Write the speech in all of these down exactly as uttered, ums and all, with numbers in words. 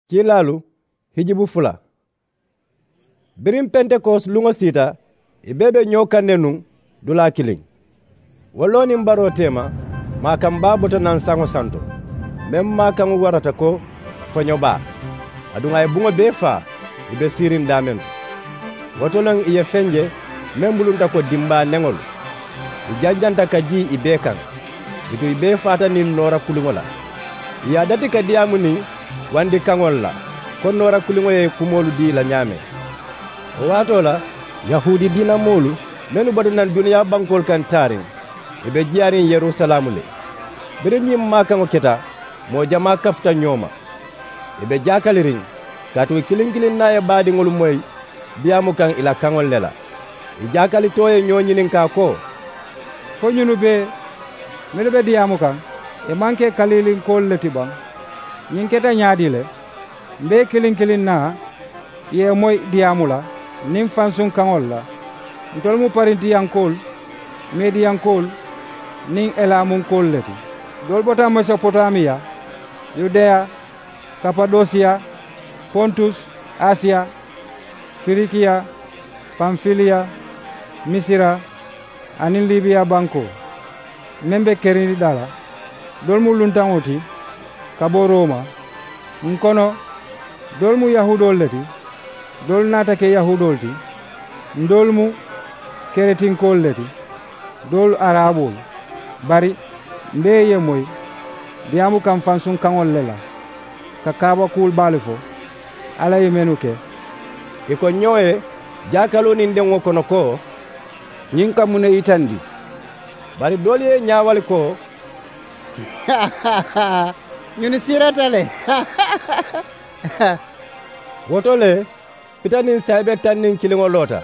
Kiilaalu hijibu fula. Biriŋ pentekosi luŋo siita, ì bee be ñoo kaŋ ne nuŋ dulaa kiliŋ. Wo loo niŋ baroo teema, maakaŋ baa bota naŋ saŋo santo, meŋ maakaŋo warata ko foño baa. Aduŋ a ye buŋo bee faa, ì be siiriŋ daameŋ to. Wo to le ì ye feŋ je meŋ bulunta ko dimbaa neŋolu. Ì janjanta ka jii ì bee kaŋ. Bituŋ ì bee faata niŋ noora kuliŋo la. Ì ye a dati ka diyaamu niŋ wandi kaŋolu la, ko noora kuliŋo ye kumoolu dii ì la ñaameŋ. Wo waatoo la, yahuudi diina moolu mennu bota naŋ duniyaa bankoolu kaŋ taariŋ, ì be jiyaariŋ yerusalaamu le. Biriŋ ñiŋ maakaŋo keta, moo jamaa kafuta ñoo ma. Ì be jaakaliriŋ, kaatu ì kiliŋ kiliŋ naa ye baadiŋolu moyi diyaamu kaŋ ì la kaŋolu le la. Ì jaakalitoo ye ñoo ñininkaa ko, fo ñunu bee mennu be diyaamu kaŋ, ì maŋ ke kaliilinkoolu le ti baŋ? Ñiŋ keta ñaadii le? M be ì kiliŋ kiliŋ naa ye ì moyi diyaamu la niŋ fansuŋ kaŋolu la. Ntolu mu parintiyankoolu, mediyankoolu niŋ elaamunkoolu le ti. Doolu bota mesopotamiya, yudeya, kapadosiya, pontus, asiya, firikiya, pamfiliya, misira, aniŋ libiya bankoo meŋ be kerindidaa la. Doolu mu luntaŋo ti ka bo roma. Ǹ kono, doolu mu yahuudoolu le ti, doolu naata ke yahuudoolu ti. Ǹ doolu mu keretinkoolu le ti, doolu araboolu. Bari m be ì ye moyi diyaamu kaŋ fansuŋ kaŋolu le la, ka kaabakuwolu baalu fo alla ye mennu ke. Ì ko ñoo ye jaakaloo niŋ deŋo kono ko, ñiŋ ka muŋ ne yitandi? Bari doolu ye ì ñaawali ko, ñunu siirata le. Wo to le, pita niŋ saayibe taŋ niŋ kiliŋo loota.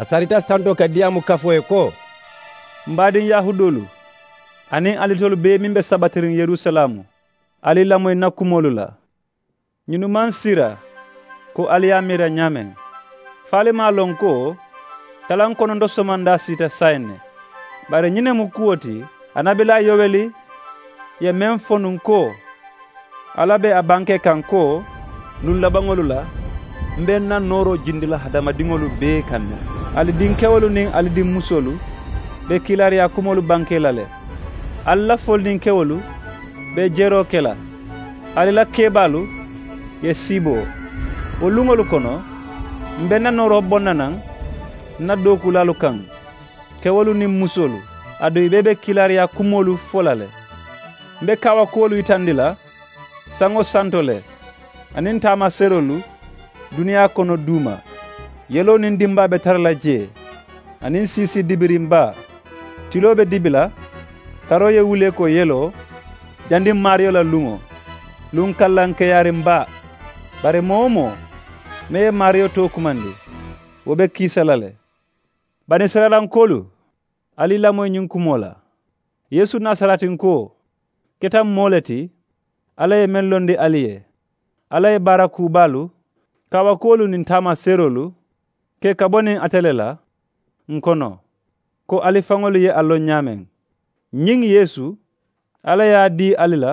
A sarita santo ka diyaamu kafoo ye ko, m baadiŋ yahuudoolu, aniŋ alitolu bee meŋ be sabatiriŋ yerusalaamu, ali lamoyi ǹ na kumoolu la. Ñunu maŋ sira ko ali ye a miira ñaameŋ. Fo ali maŋ a loŋ ko talaŋ kononto somandaa siita saayiŋ ne? Bari ñiŋ ne mu kuwo ti, annabilaa yoweli ye meŋ fo nuŋ ko, alla be a bankee kaŋ ko, luŋ labaŋolu la m be ǹ na nooroo jindi la hadamadiŋolu bee kaŋ ne. Ali dinkewolu niŋ ali dinmusoolu be kiilaariyaa kumoolu bankee la le. Ali la folininkewolu be jeroo ke la. Ali la keebaalu ye siiboo. Wo luŋolu kono m be ǹ na nooroo boŋ na naŋ ǹ na dookuulaalu kaŋ, kewolu niŋ musoolu, aduŋ ì bee be kiilaariyaa kumoolu fo la le. M be kaawakuwolu yitandi la saŋo santo le, aniŋ taamaseeroolu duniyaa kono duuma. Yeloo niŋ dimbaa be tara la jee, aniŋ siisii dibiriŋ baa. Tiloo be dibi la, taroo ye wulee ko yeloo, jandiŋ maariyo la luŋo, luŋ kallaŋ keyaariŋ baa. Bari moo-wo-moo meŋ ye maariyo too kumandi, wo be kiisa la le. Banisirayilankoolu, ali lamoyi ñiŋ kumoo la. Yeesu nasaretinkoo keta moo le ti alla ye meŋ londi ali ye. Alla ye baara kuu baalu, kaawakuwolu niŋ taamaseeroolu ke ka bo niŋ ate le la ǹ kono, ko ali faŋolu ye a loŋ ñaameŋ. Ñiŋ yeesu, alla ye a dii ali la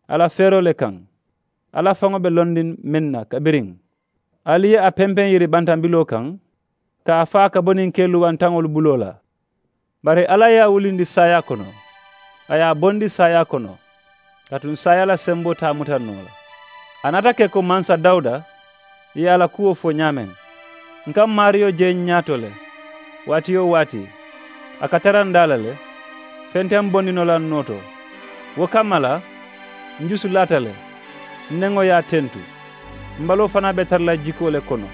a la feeroo le kaŋ. Alla faŋo be londiŋ meŋ na kabiriŋ ali ye a pempeŋ yiri bantambiloo kaŋ, ka a faa ka bo niŋ ke luwantaŋolu buloo la. Bari alla ye a wulindi saayaa kono, a ye a bondi saayaa kono, kaatu saayaa la semboo te a muta noo la. A naata ke ko mansa dawuda ye a la kuwo fo ñaameŋ. Ǹ ka m maariyo je ǹ ñaato le, waati-wo-waati a ka tara ǹ daa la le. Feŋ te m bondi noo la ǹ noo to. Wo kamma la, ǹ jusu laata le, ǹ neŋo ye a tentu. M baloo fanaa be tara la jikoo le kono.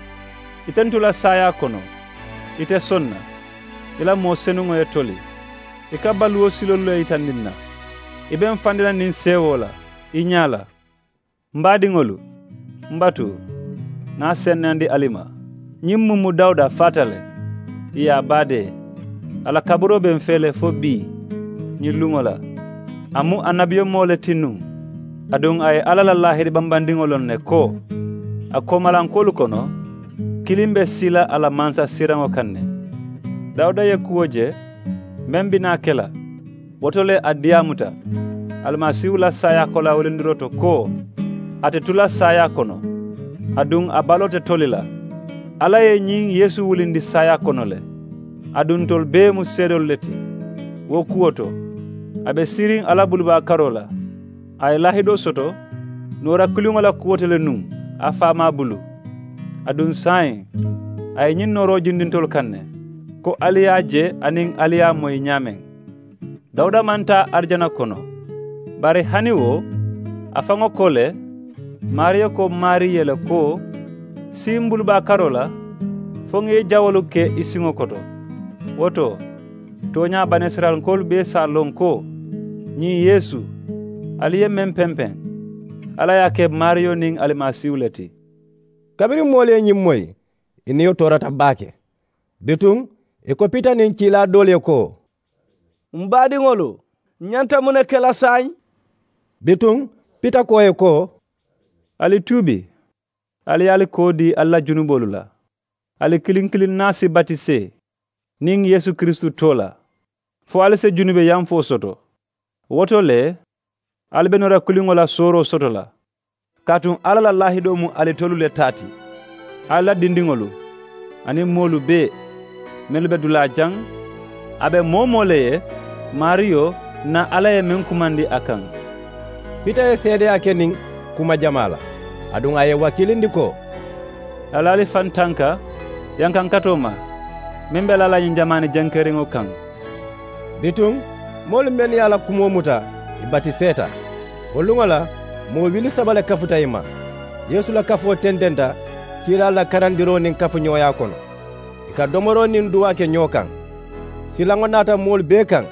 I tentu la saayaa kono, i te soŋ na. I la moo senuŋo ye toli. I ka baluwo siloolu le yitandi ǹ na. I be m fandi la niŋ seewoo la i ñaa la. M baadiŋolu, m batu, ŋa a senneyandi ali ma. Ñiŋ mumu dawuda faata le, ì ye a baadee. A la kaburoo be m fee le fo bii, ñiŋ luŋo la. A mu annabiyomoo le ti nuŋ. Aduŋ a ye alla la laahiri bambandiŋo loŋ ne ko, a koomalankoolu kono, kiliŋ be sii la a la mansasiiraŋo kaŋ ne. Dawuda ye kuwo je meŋ bi naa ke la, wo to le a diyaamuta alimasiihu la saayaa kolaa wulindiroo to ko, ate tu la saayaa kono, aduŋ a baloo te toli la. Alla ye ñiŋ yeesu wulindi saayaa kono le. Aduŋ ntolu bee mu seedoolu le ti. Wo kuwo to, a be siiriŋ alla bulubaa karoo la. A ye laahidoo soto noora kiliŋo la kuwo to le nuŋ a faamaa bulu. Aduŋ saayiŋ a ye ñiŋ nooroo jindi ntolu kaŋ ne, ko ali ye a je aniŋ ali ye a moyi ñaameŋ. Dawuda maŋ taa arijana kono, bari hani wo a faŋo ko le, maariyo ko maarii ye le ko, sii m bulubaa karoo la fo ŋa i jawoolu ke i siŋo koto. Wo to, tooñaa banisirayilankoolu bee si a loŋ ko ñiŋ yeesu ali ye meŋ pempeŋ, alla ye a ke maariyo niŋ alimasiihu le ti. Kabiriŋ moolu ye ñiŋ moyi, i niyo toorata baake. Bituŋ i ko pita niŋ kiilaa doolu ye ko, m baadiŋolu, ǹ ñanta muŋ ne ke la saayiŋ? Bituŋ pita ko ì ye ko, ali tuubi, ali ye ali koo dii ali la junuboolu la, ali kiliŋ kiliŋ naa si batisee niŋ yeesu kiristu too la, fo ali si junube yamfoo soto. Wo to le ali be noora kiliŋo la sooroo soto la. Kaatu alla la laahidoo mu ali tolu le taa ti. Ali la dindiŋolu aniŋ moolu bee mennu be dulaa jaŋ, a be moo-wo-moo le ye maariyo na alla ye meŋ kumandi a kaŋ. Pita ye seedeyaa ke niŋ kuma jamaa la, aduŋ a ye i wakiilindi ko, ali ali faŋ tanka yankankatoo ma meŋ be laa la ñiŋ jamaani jenkeriŋo kaŋ. Bituŋ moolu mennu ye a la kumoo muta, ì batiseeta. Wo luŋo la moo wili saba le kafuta ì ma. Yeesu la kafoo tententa kiilaalu la karandiroo niŋ kafuñooyaa kono, ì ka domoroo niŋ duwaa ke ñoo kaŋ. Silaŋo naata moolu bee kaŋ.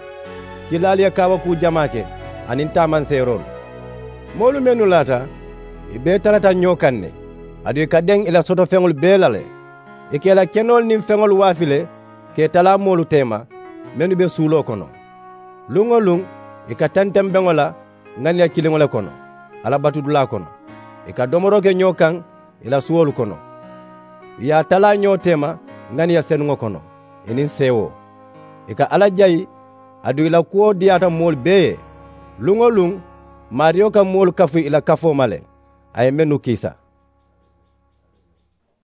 Kiilaalu ye kaawakuu jamaa ke aniŋ taamanseeroolu. Moolu mennu laata, ì bee tarata ñoo kaŋ ne, aduŋ ì ka deŋ ì la sotofeŋolu bee la le. Ì ka ì la kenoolu niŋ feŋolu waafi le ka ì talaa moolu teema mennu be suuloo kono. Luŋ-wo-luŋ ì ka tenteŋ beŋo la ŋaniya kiliŋo le kono, alla batudulaa kono. Ì ka domoroo ke ñoo kaŋ ì la suwolu kono. Ì ye a talaa ñoo teema ŋaniya senuŋo kono, ì niŋ seewoo. Ì ka alla jayi, aduŋ ì la kuwo diyaata moolu bee ye. Luŋ-wo-luŋ maariyo ka moolu kafu ì la kafoo ma le, a ye mennu kiisa.